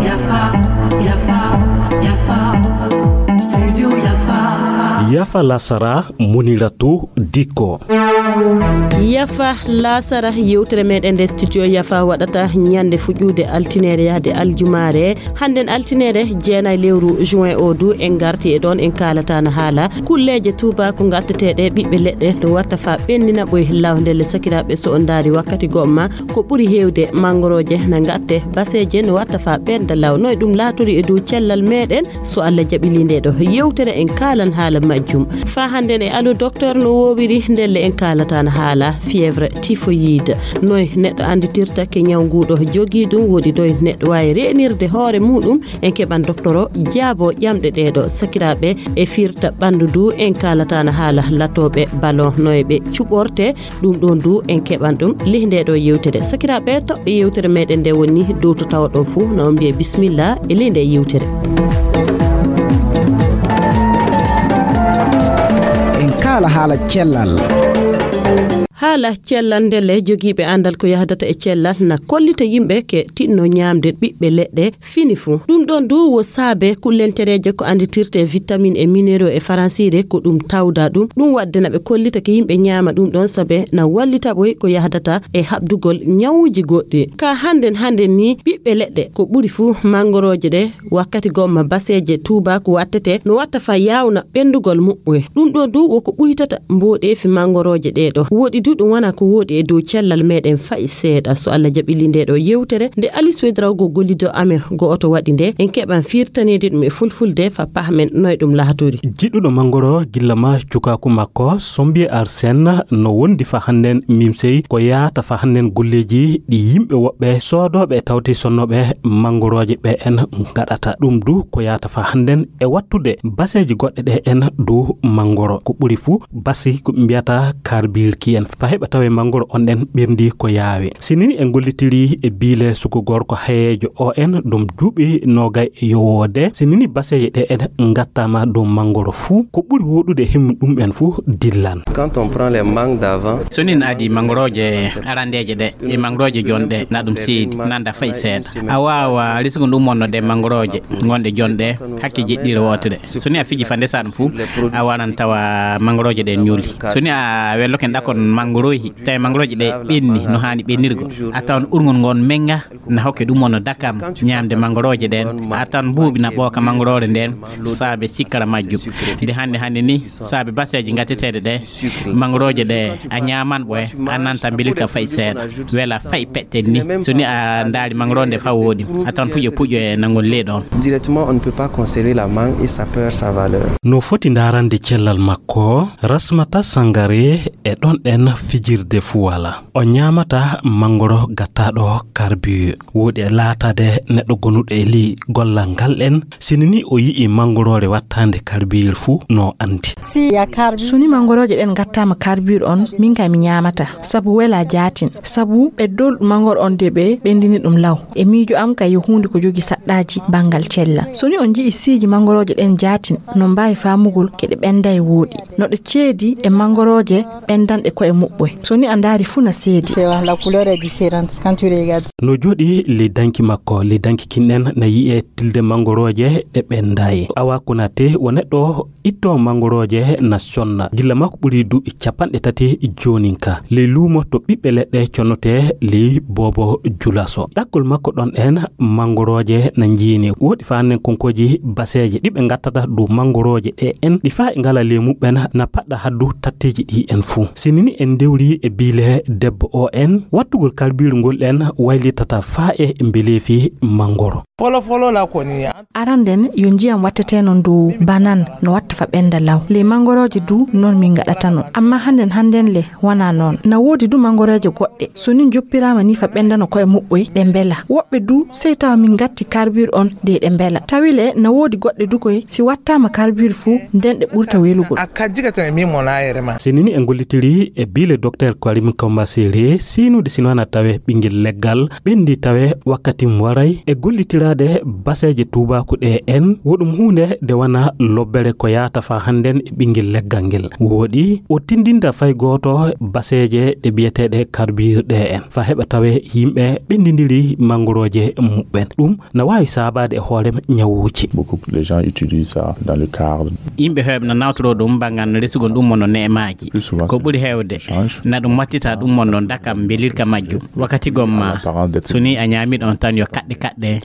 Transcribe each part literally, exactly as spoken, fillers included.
Yafa, yafa, yafa. Studio yafa. Yafa lasara, Muniratu Dikko. Yafa lasara, yewtere meɗen nde studio yafa waɗata ñande fuɗɗude altinere yahde aljumaare. Hannden altinere jeenay lewru juin o du en ngarti e ɗon en kaalata na haala kulleeje tuubaaku ngatteteeɗe ɓiɓɓe leɗɗe no watta fa ɓennina ɓoy law ndelle sakiraaɓe so on ndaari wakkati gomma ko ɓuri heewde manngorooje na ngatte baseeje no watta fa ɓennda law no e ɗum laatori e dow cellal meɗen so Allah jaɓili nde ɗo yewtere en kaalan haala majjum fa hannden e allo docteur no woowiri ndelle en kaalata na haala fièvre typhoïde noy neɗɗo annditirta ke ñaw nguɗo jogii ɗum woɗi doy neɗɗo waawi reenirde hoore muɗum en keɓan doktoro jaabo ƴamɗe ɗeɗo sakiraaɓe e firta ɓanndu ndu en kaalata na haala latooɓe ballon no e ɓe cuɓorte ɗum ɗon du en keɓan ɗum lih nde ɗo yewtere sakiraaɓe toɓɓe yewtere meɗen nde woni dow to tawa ɗon fuu no on mbiye bisimilla e ley nde yewtere en kaala haala cellal haala cellal ndelle jogiiɓe anndal ko yahdata e cellal na kollita yimɓe ke tinno ñaamde ɓiɓɓe leɗɗe fini fuu ɗum ɗon du wo saabe kullentereeje ko annditirte vitamine e minéraux e faransiire ko ɗum tawda ɗum ɗum waɗde na ɓe kollita ke yimɓe ñaama ɗum ɗon saabe na wallita ɓoy ko yahdata e haɓdugol ñawuuji goɗɗi ka hannden hannden ni ɓiɓɓe leɗɗe ko ɓuri fuu manngorooje ɗe wakkati gomma baseeje tuubaaku wattete no watta fa yaawna ɓenndugol muɓɓoye ɗum ɗo du woko ɓuytata mboɗeefi manngorooje ɗee ɗo woɗi du ɗum wona ko woɗi e dow cellal meɗen fayi seeɗa so allah jaɓili nde ɗo yewtere nde alis wedrawgo gollido amen go'oto waɗi nde en keɓan firtaneede ɗum e fulfulde fa pahmen noye ɗum laatori jiɗɗuɗo manngoro gilla ma cukaaku makko sombiye arsen no wondi fa hannden mimsey ko yaata fa hannden golleeji ɗi yimɓe woɓɓe soodooɓe e tawti sonnooɓe manngorooje ɓe en ngaɗata ɗum du ko yaata fa hannden e wattude baseeji goɗɗe ɗe en dow manngoro ko ɓuri fuu basi ko ɓe mbiyata karbirki en fa heɓa tawe manngoro on ɗen ɓerndi ko yaawi sinini en gollitiri e biile suko gorko hayeejo o en ɗum duuɓi noogay e yowoode sinini baseeje ɗe en ngattaama dow manngoro fuu ko ɓuri woɗude himmi ɗum en fuu dillan quand on prend les mangues d'avant so nin adi manngorooje arandeeje ɗe e manngorooje jonɗe na ɗum seedi nanda fay seeɗa a waawa risgo ɗum wonno ɗe manngorooje gonɗe jonɗe hakke jeɗɗire wootere so ni a fiji fa ndesaa ɗum fuu a waran tawa manngorooje ɗen ñuuli so ni a welloke ɗakon manngoroohi tawi manngorooje ɗe ɓenni no haani ɓennirgo a tawan urngol ngon menga na hokke ɗum wonno dakam ñaamde manngorooje ɗen a tawan mbuuɓi na ɓooka manngoroore nden saabe sikkara majjum nde hannde hannde ni saabe baseeje gatteteeɗe ɗe manngorooje ɗe a ñaaman ɓoye a nanta mbilirka fayi seeɗa wela fayi peɗten ni so ni a ndaari manngoroo nde fa wooɗi a tan puƴo puƴo e nangol ley ɗon directement on ne peut pas conserver la mangue et ça perd sa valeur no foti ndaarande cellal makko rasmata sangare e ɗon ɗen fijirde fuwala o ñaamata manngoro gattaaɗo karbure wooɗi e laataade neɗɗo gonuɗo e ley gollal ngal ɗen sini ni o yi'i manngoroore wattaande karbiyel fuu no anndi si ya karbi so ni manngorooje ɗen ngattaama karbiyel on min kay mi ñaamata sabu wela jaatin sabu ɓe dolɗu manngoro on de ɓe ɓendini ɗum law e miijo am kay yo huunde ko jogi saɗɗaaji banngal cellal so ni on nji'i siiji manngorooje ɗen jaatin no mbaawi faamugol keɗe ɓenda e wooɗi no ɗe ceedi e manngorooje ɓendanɗe koye muɓɓoy so ni a ndaari fuu na seedi c'est la couleur est différente quand tu regardes no jooɗi ley danki makko ley danki kinɗen na yi'e tilde manngorooje ɗe ɓendayi awa konate wo neɗɗo itto manngorooje na sonna gilla makko ɓuri duuɓi capanɗe tati joonin ka ley luumo to ɓiɓɓe leɗɗe connotee ley boobo julaso ɗakkol makko ɗon en manngorooje na njiini woɗi faanen konkooji baseeje ɗi ɓe ngattata dow manngorooje ɗe en ɗi faa e ngala ley muɓɓen na paɗɗa haddu tatteeji ɗi en fuu sinini en ndewri e biile debbo o en wattugol karbiiru ngol ɗen waylitata faa e mbeleefi manngoro folofololakoni aranden yo njiyam watteteno dow banan no watta fa ɓenda law ley manngorooje du non min ngaɗatano amma hannden hannden le wona noon na woodi du manngorooje goɗɗe so ni joppiraama ni fa ɓendano koye muɓɓoy ɗe mbela woɓɓe du sey tawa min ngatti karbir on de ɗe mbela tawi le na woodi goɗɗe du koye si wattaama karbir fuu nden ɗe ɓurta welugol a kajjigata e min mo na yerema sinini en gollitiri e biile Le docteur Karim Kombasere, siinude sino na tawe ɓinngel leggal, ɓenndi tawe wakkati mo waray e gollitiraade baseeje tuubaaku ɗe en, woɗum huunde nde wana lobbere ko yaata fa hannden e ɓinngel leggal ngel. Woɗi, o tindinta fay gooto baseeje ɗe biyeteeɗe karbir ɗe en, fa heɓa tawe yimɓe ɓenndindiri mangorooje muɓɓen. Ɗum na waawi saabaade e hoore ñawuuji. Beaucoup de gens utilisent ça dans le cadre. Yimɓe heewɓe na nawtoro ɗum bangan resugol ɗum mono neemaaji. Plus souvent, ko ɓuri heewde, na ɗum wattita ɗum mono dakam mbelirka majjum. Wakkati gomma, so ni a ñaami ɗon tan yo kaɗɗe kaɗɗe,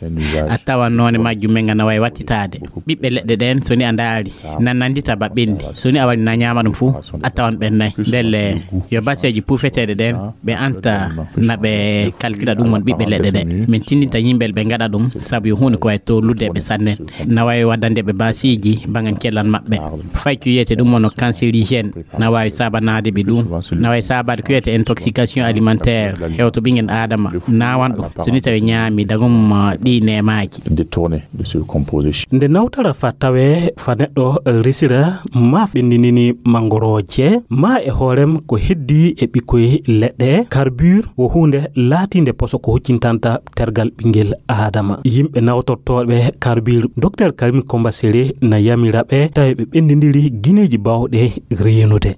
a tawan noone majjum men ngana wawi wattitaade. Ɓiɓɓe leɗɗe ɗen, so ni a ndaari, na nandita ba ɓenndi. So ni a wari na ñaama ɗum fuu, a tawan ɓennay. Ndelle, yo baseeji puufeteeɗe ɗen, ɓe anta na ɓe kalkila ɗum won ɓiɓɓe leɗɗe ɗe. Min tindinta yimɓe ɓe ngaɗa ɗum, sabu yo huunde ko wawi tollude ɓe sanne. Na wawi waddande ɓe basiiji bangan cellal maɓɓe. Fay ko wiyete ɗum won cancérigène, na wawi sabanaade ɓe ɗum. Na wawi sabaade ko wiyete intoxication alimentaire, hewto ɓinngel Adama, nawan ɗum. So ni tawi ñaami dagum, uh, ɗi neemaaji. Détourné de ce composé. Nde nawtara fa tawe fa neɗɗo resira ma ɓenndinini mangorooje, ma e hoorem ko heddi e ɓikkoy leɗɗe, carbure wo huunde laatiinde poso ko huccintanta tergal ɓinngel Adama. Yimɓe nawtortooɓe carbure, docteur Karim Kombasere na yamira ɓe tawi ɓe ɓenndindiri gineeji baawɗe reenude.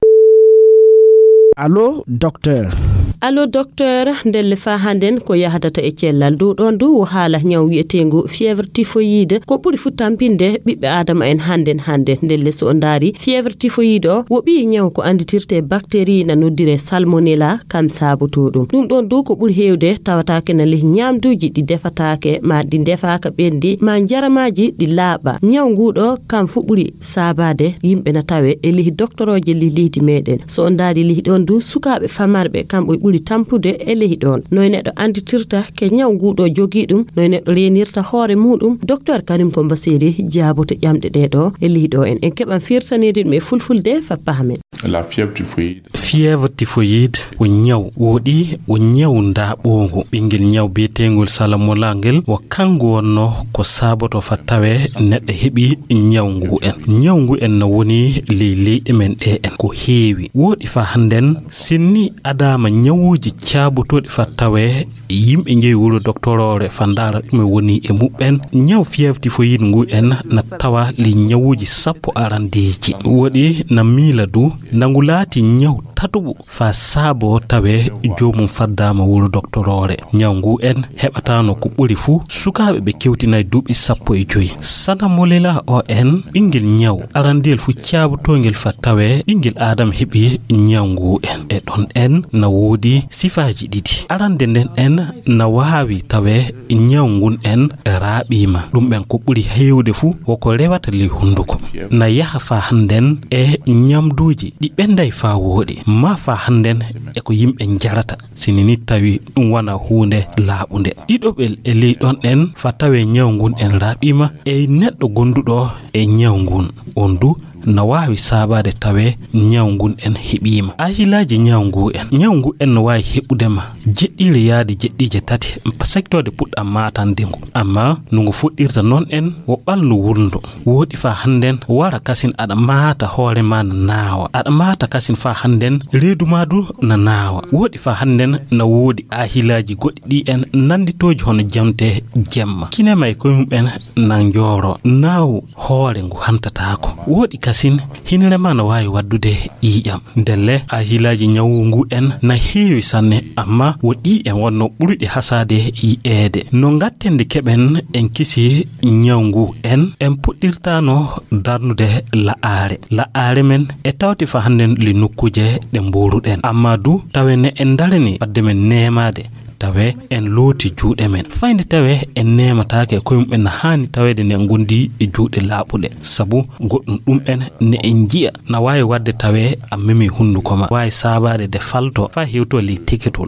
Allo, docteur. Allo, docteur, ndelle fa hannden ko yahdata e cellal dow ɗon du wo haala ñaw wi'eteengu fièvre typhoïde. Ko ɓuri fu tampinde ɓiɓɓe Adama en hannden hannde. Ndelle so o ndaari fièvre typhoïde o, wo ɓii ñaw ko annditirte bactérie na noddire salmonella, kam saabotoo ɗum. Ɗum ɗon du ko ɓuri heewde tawataake na lehi ñaamduuji ɗi defataake, ma ɗi ndefaaka ɓenndi, ma njaramaaji ɗi laaɓa. Ñaw ngu ɗo kam fu ɓuri saabaade yimɓe na tawe e lehi doktorooje lehi leydi meɗen. So on ndaari lehi ɗon du, sukaaɓe famarɓe kamɓe ɓuri tampude e lehi ɗon. Noy neɗɗo annditirta ke ñaw ngu ɗo jogii ɗum, noy neɗɗo reenirta hoore muɗum, docteur Karim Kombaseri jaaboto ƴamɗe ɗe ɗo e lehi ɗo en. En keɓan firtaneede ɗum e fulfulde fa pahamen. La fièvre typhoïde. Fièvre typhoïde ko ñaw woɗi, ko ñaw ndaaɓoongo. Ɓinngel ñaw biyeteengol salamola ngel, wo kanko wonno ko saaboto fa tawe neɗɗo heɓi ñaw ngu en. Ñaw ngu en no woni ley leyɗe men ɗe en ko heewi. Woɗi fa hannden, sinni adaama ñawuuji caabotooɗi fa tawe yimɓe njehi wuro doktoroore fa ndaara ɗume woni e muɓɓen. Ñaw fièvre typhoïde ngu en na tawa ley ñawuuji sappo arandeeji. Woɗi na miila du, na ngu laati ñaw tatuɓu fa saabo tawe joomum faddaama wuro doktoroore. Ñaw ngu en heɓataano ko ɓuri fu sukaaɓe ɓe kewtinaay duuɓi sappo e joy. Sana molela o en ɓinngel ñaw arandeel fu caabotoongel fa tawe ɓinngel aadama heɓi ñaw ngu en. E ɗon en na woodi sifaaji ɗiɗi. Arande nden en na waawi tawe ñaw ngun en raaɓiima. Ɗum en ko ɓuri heewde fu woko rewata ley hunnduko. Na yaha fa hannden e ñamduuji ɗi ɓenday fa wooɗi, ma fa hannden e ko yimɓe njarata. Sini ni tawi ɗum wana huunde laaɓunde. Ɗiɗoɓel e ley ɗon en fa tawe ñaw ngun en raaɓiima e neɗɗo gonduɗo e ñaw ngun. On du na waawi saabaade tawe ñaw ngun en heɓiima. Ahilaaji ñaw ngu en. Ñaw ngu en no waawi heɓude ma jeɗɗiire yaade jeɗɗiije tati, sectoode puɗɗa maatande ngu. Amma no ngu fuɗɗirta noon en wo ɓalndu wulndo. Woɗi fa hannden wara kasin aɗa maata hoore ma na naawa. Aɗa maata kasin fa hannden reedu ma du na naawa. Woɗi fa hannden na woodi ahilaaji goɗɗi ɗi en nannditooji hono jamte jemma. Kine ma e koye mum en na njooro. Naawu hoore ngu hantataako. Woɗi kasin hinire ma no waawi waddude ƴiiƴam. Ndelle ahilaaji ñawu ngu en na heewi sanne, amma wo ɗi en wonno ɓurɗi hasaade yi'eede. No ngatten nde keɓen en kisi ñaw ngu en, en puɗɗirtaano darnude la'aare. La'aare men e tawti fa hannden li nokkuuje ɗe mbuuruɗen. Amma du tawe ne en ndarani wadde men neemaade. Tawe en looti juuɗe men. Fayde tawe en neemataake koye mum en na haani taweede nde en ngondi e juuɗe laaɓuɗe. Sabu goɗɗum ɗum en ne en njiya na waawi wadde tawe a memi hunnduko ma. Waawi saabaade de falto faa hewto ley teketol.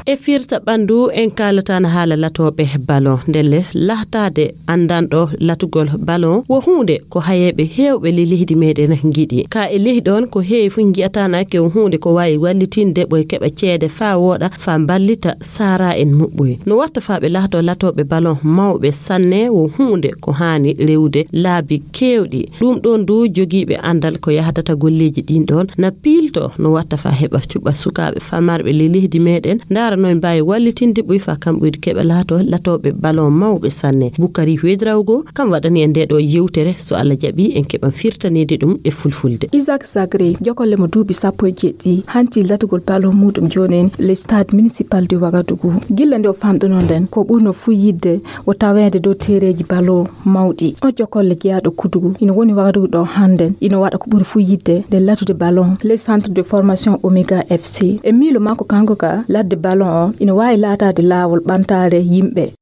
E firta ɓanndu, en kaalataano haala latooɓe ballon. Ndelle, lahtaade anndanɗo latugol ballon wo huunde ko hayeeɓe heewɓe ley leydi meɗen ngiɗi. Ka e ley ɗoon, ko heewi fof njiyataanake wo huunde ko waawi wallitinde ɓoy keɓa ceede faa wooɗa, faa mballita saara en muɓɓoy. No watta faa ɓe laatoo latooɓe ballon mawɓe sanne wo huunde ko haani rewde laabi keewɗi. Ɗum ɗoon du, jogiiɓe anndal ko yahdata golleeji ɗiin ɗoon na piilto no watta faa heɓa cuɓa sukaaɓe famarɓe ley leydi meɗen, ndaara no en mbaawi wallitinde ɓoy faa kamɓe du keɓa laato latooɓe ballon mawɓe sanne. Bukari Wedrawgo kam waɗani en ndee ɗoo yewtere, so Allah jaɓi en keɓan firtaniide ɗum e fulfulde. Isaac Sagri, jokolle mo duuɓi sappo e jeɗɗi, hanti latugol ballon muuɗum jooni en le stade municipal de Wagadugu. Gilla nde o famɗunoo nden, ko ɓurno fuu yiɗde o taweede dow teereeji ballon mawɗi. O jokolle jeyaaɗo Kudugu ina woni Wagadugu ɗo hannden, ina waɗa ko ɓuri fuu yiɗde nde latude ballon le centre de formation Omega F C. E miilo makko kanko ka, ladde ballon o ina waawi laataade laawol ɓamtaare yimɓe.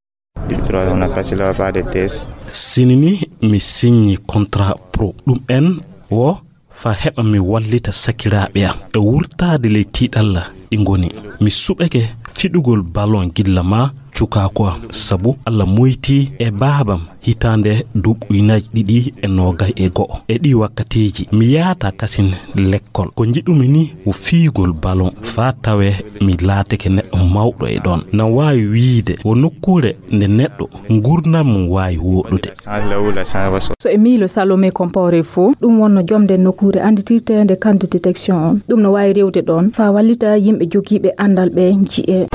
Depuis trois ans, on a passé là-bas des tests. Sinini mi signi contrat pro. Ɗum en wo faa heɓa mi wallita sakiraaɓe am e wurtaade ley tiiɗalla ɗi ngoni. Mi suɓake fiɗugol ballon gilla maa cukaaku am, sabu Allah moytii e baabam hitaande duuɓi ujunaaji ɗiɗi e noogay e go'o. E ɗii wakkatiiji, mi yahataa kasin lekkol. Ko njiɗumi ni wo fiyugol ballon faa tawee mi laatake neɗɗo mawɗo e ɗoon. Na waawi wiyde wo nokkuure nde neɗɗo nguurndam mum waawi wooɗude. So e miilo Salome Compaoré fof, ɗum wonno jom nden nokkuure annditirteende camp de détection on. Ɗum no waawi rewde ɗoon faa wallita yimɓe jogiiɓe anndal ɓe nji'e.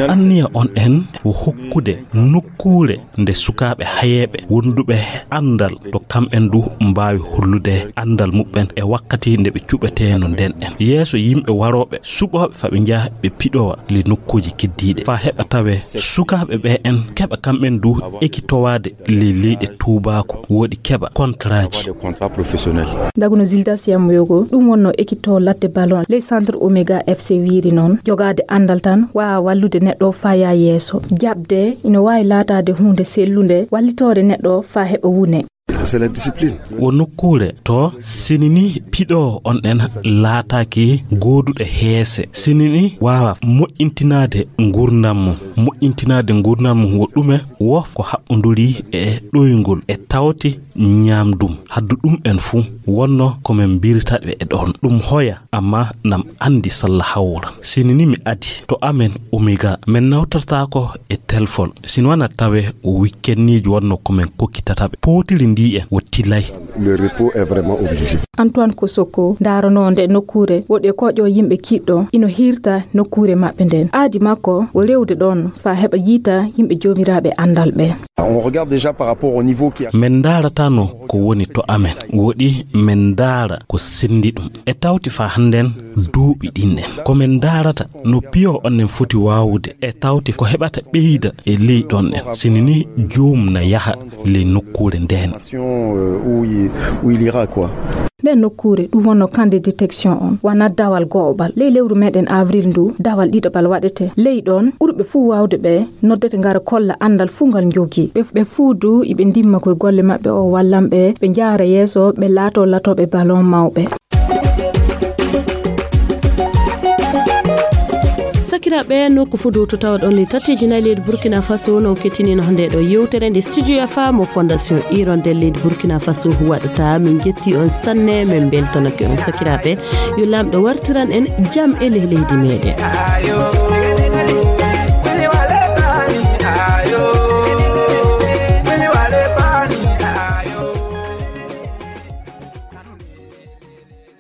Anniya on en wo hokkude nokkuure nde sukaaɓe hayeeɓe wonduɓe anndal to kamɓen du mbaawi hollude anndal muɓɓen e wakkati nde ɓe cuɓeteeno nden en. Yeeso yimɓe warooɓe suɓooɓe faa ɓe njaha ɓe piɗowa ley nokkuuji keddiiɗe faa heɓa tawee sukaaɓe ɓe en keɓa kamɓen du ekitowaade ley leyɗe tuubaaku, wooɗi keɓa kontaraaji. Daguno Zilda Siyamoyogo, ɗum wonno ekitoo ladde ballon ley centre Omega F C wiiri noon, jogaade anndal tan waawa wallude neɗɗo faa yaa yeeso. Jaɓde ina waawi laataade huunde sellunde, wallitoore neɗɗo faa heɓa wune. C'est la discipline. Wo nokkuure to sinini piɗo on en laataaki gooduɗo heese. Sinini waawa moƴƴintinaade nguurndam mum. Moƴƴintinaade nguurndam mum wo ɗume? Wo ko haɓɓonduri e ɗoyngol e tawti ñaamdum. Haddu ɗum en fuu wonno ko men mbirtaɓe e ɗoon. Ɗum hoya amma nam anndi salla hawran. Sinini mi adi to amen Omega, men nawtortaako e telfon. Sin wana tawe o wikkenniiji wonno ko men kokkitataɓe. Pootiri ndi en wo tilay. Le repos est vraiment obligé. Antoine Kosoko, ndaranoo nde nokkuure, woɗi e koƴo yimɓe kiɗɗo, ino hirta nokkuure maɓɓe nden. Aadi makko wo rewde ɗoon faa heɓa yiita yimɓe joomiraaɓe anndal ɓe. On regarde déjà par rapport au niveau qui a Men ndaarata no ko woni to amen. Woɗi men ndaara ko senndi ɗum. E tawti faa hannden duuɓi ɗin en. Ko men ndaarata no piyo on en foti waawude. E tawti ko heɓata ɓeyda e ley ɗon en. Sinini joom na yaha ley nokkuure ndeen. Où il, où il ira, quoi. Nden nokkuure ɗum wonno camp de détection on, wana dawal go'oɓal. Ley lewru meɗen avril ndu, dawal ɗiɗaɓal waɗete. Ley ɗon, ɓurɓe fuu waawde ɓe noddete ngara kolla anndal fuu ngal njogii. Ɓe, ɓe fuu du iɓe ndimma koye golle maɓɓe o wallan ɓe, ɓe njaara yeeso, ɓe laato latooɓe ballon mawɓe. Sakiraaɓe, nokku fuu du to tawaɗon ley tatiiji nayi leydi Burkina Faso, non kettinino nde ɗo yewtere nde Studio F A mo Fondation Hirondelle leydi Burkina Faso waɗata. Min njetti on sanne, min mbeltanake on sakiraaɓe. Yo Laamɗo wartiran en jam e ley leydi meɗen.